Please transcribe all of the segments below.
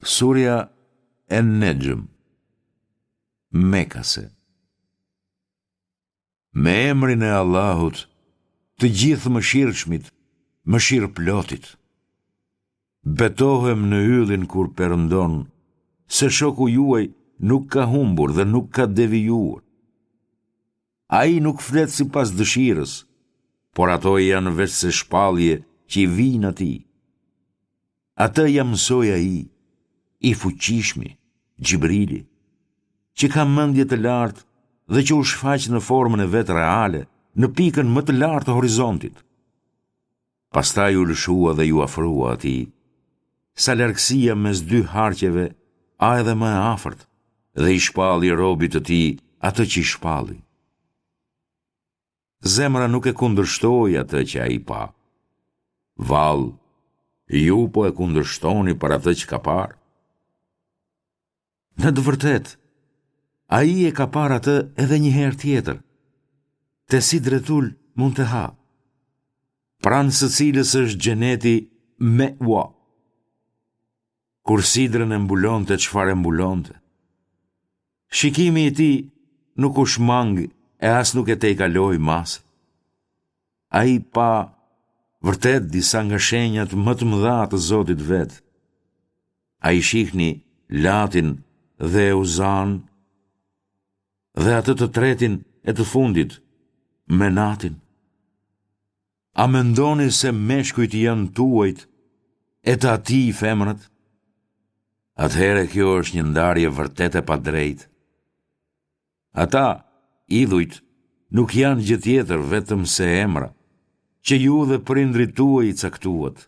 Surja En-Nexhm, Mekase Me emrin e Allahut, të Gjithëmëshirshmit, mëshirëplotit. Betohem në yllin kur perëndon, se shoku juaj nuk ka humbur dhe nuk ka devijuar. Ai nuk flet sipas dëshirës, por ato janë veçse shpallje që i vijnë atij. Atë ia mësoi ai, i fuqishmi, Xhibrili, që ka mendje të lartë dhe që u shfaq në formën e vet reale, në pikën më të lartë të horizontit. Pastaj u lëshua dhe iu afrua atij, sa largësia mes dy harqeve a edhe më e afërt, dhe i shpalli robit të tij atë që i shpalli. Zemra nuk e kundërshtoi atë që ai pa. Vallë, ju po e kundërshtoni për atë që ka parë? Në të vërtetë, ai e ka parë atë edhe një herë tjetër, te Sidretul Munteha, pranë së cilës është xheneti Meua. Kur sidrën e mbulonte çfarë e mbulonte. Shikimi i tij nuk u shmang e as nuk e tejkaloi masën. Ai pa vërtet disa nga shenjat më të mëdha të Zotit të vet. A i shihni Latin dhe Uzanë dhe atë të tretin e të fundit, Menatin. A mendoni se meshkujt janë tuajt e të atij femrat? Atëherë kjo është një ndarje vërtet e padrejtë. Ata, idhujt, nuk janë gjë tjetër vetëm se emra, që ju dhe prindërit tuaj i caktuat.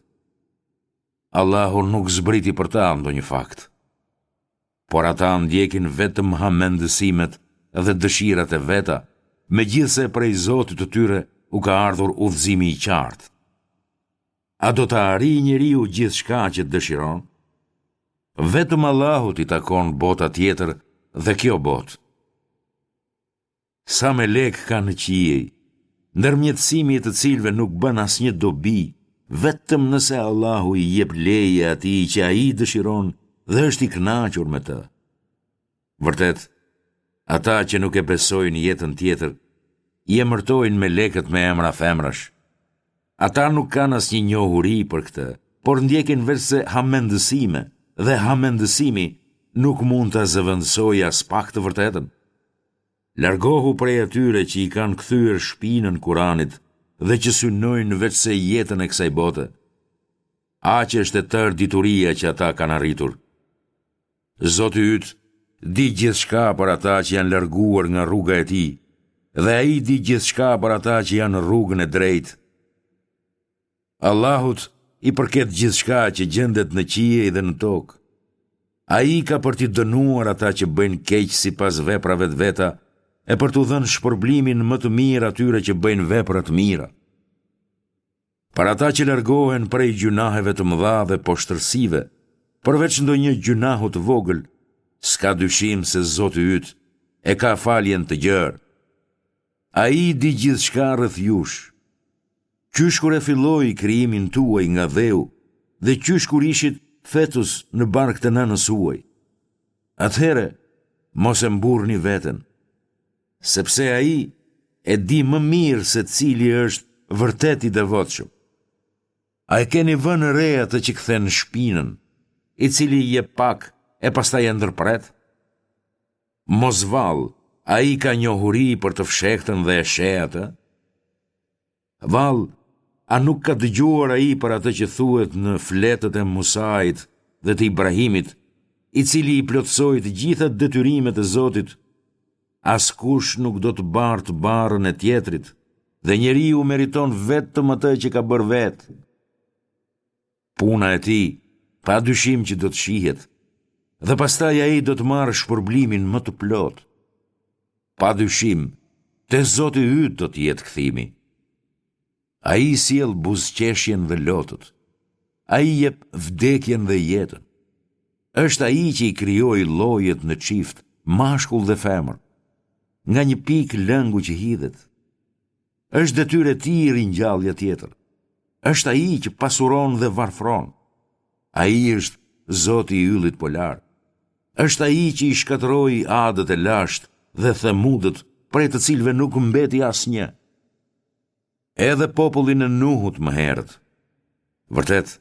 Allahu nuk zbriti për ta ndonjë fakt. Por ata ndjekin vetëm hamendësimet dhe dëshirat e veta, megjithëse prej Zotit të tyre u ka ardhur udhëzimi i qartë. A do të arrijë njeriu gjithçka që dëshiron? Vetëm Allahut i takon bota tjetër dhe kjo botë. Sa melekë ka në qiej, ndërmjetësimi i të cilëve nuk bën asnjë dobi, vetëm nëse Allahu i jep leje atij që ai dëshiron dhe është i kënaqur me të. Vërtet, ata që nuk e besojnë jetën tjetër, i emërtojnë melekët me emra femrash. Ata nuk kanë asnjë njohuri për këtë, por ndjekin veçse hamendësime dhe hamendësimi nuk mund ta zëvendësojë aspak të vërtetën. Largohu prej atyre që i kanë kthyer shpinën Kuranit dhe që synojnë veçse jetën e kësaj bote. Aq është e tërë dituria që ata kanë arritur. Zoti yt di gjithçka për ata që janë larguar nga rruga e tij dhe ai di gjithçka për ata që janë në rrugën e drejtë. Allahut i përket gjithçka që gjendet në qiej dhe në tokë. Ai ka për t'i dënuar ata që bëjnë keq sipas veprave të veta e për t'u dhënë shpërblimin më të mirë atyre që bëjnë vepra të mira. Për ata që largohen prej gjynaheve të mëdha dhe poshtërsive, përveç ndonjë gjynahu të vogël, s'ka dyshim se Zoti yt e ka faljen të gjerë. Ai di gjithçka rreth jush. Qysh kur e filloi krijimin tuaj nga dheu dhe qysh kur ishit fetus në bark të nënës suaj. Atëherë, mos e mburrni veten, sepse ai e di më mirë se cili është vërtet i devotshëm. A e keni vënë re atë që kthen shpinën, i cili jep pak e pastaj e ndërpret? Mos vallë, ai ka njohuri për të fshehtën dhe e sheh atë? Vallë, a nuk ka dëgjuar ai për atë që thuhet në fletët e Musait dhe të Ibrahimit, i cili i plotësoi të gjitha detyrimet e Zotit? Askush nuk do të bartë barrën e tjetrit, dhe njeriu meriton vetëm atë që ka bërë vetë. Puna e tij, pa dyshim që do të shihet, dhe pastaj ai do të marrë shpërblimin më të plotë. Pa dyshim, te Zoti yt do të jetë kthimi. Ai sjell buzëqeshjen dhe lotët. Ai jep vdekjen dhe jetën. Është ai që i krijoi llojet në çift, mashkull dhe femër, nga një pikë lëngu që hidhet. Është detyrë e tij ringjallja tjetër. Është ai që pasuron dhe varfron. Ai është Zoti i yllit polar. Është Ai që i shkatërroi Adët e lashtë dhe Themudët, prej të cilëve nuk mbeti asnjë. Edhe popullin e Nuhut më herët. Vërtet,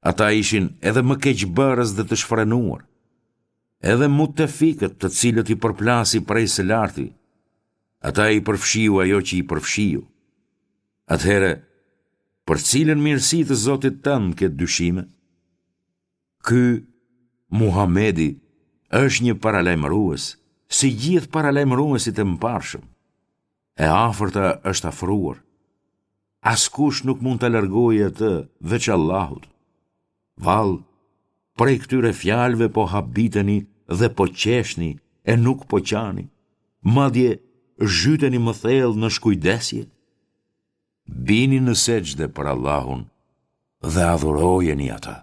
ata ishin edhe më keqbërës dhe të shfrenuar. Edhe mutefikët të cilët i përplasi prej së larti, ata i përfshiu ajo që i përfshiu. Atëherë, për cilën mirësi të Zotit tënd ke dyshime? Ky, Muhamedi, është një paralajmërues, si gjithë paralajmëruesit e mëparshëm. E afërta është afruar. Askush nuk mund ta largojë atë veç Allahut. Vallë, prej këtyre fjalëve po habiteni dhe po qeshni e nuk po qani. Madje zhyteni më thellë në shkujdesje. Bini në sexhde për Allahun dhe adhurojeni atë.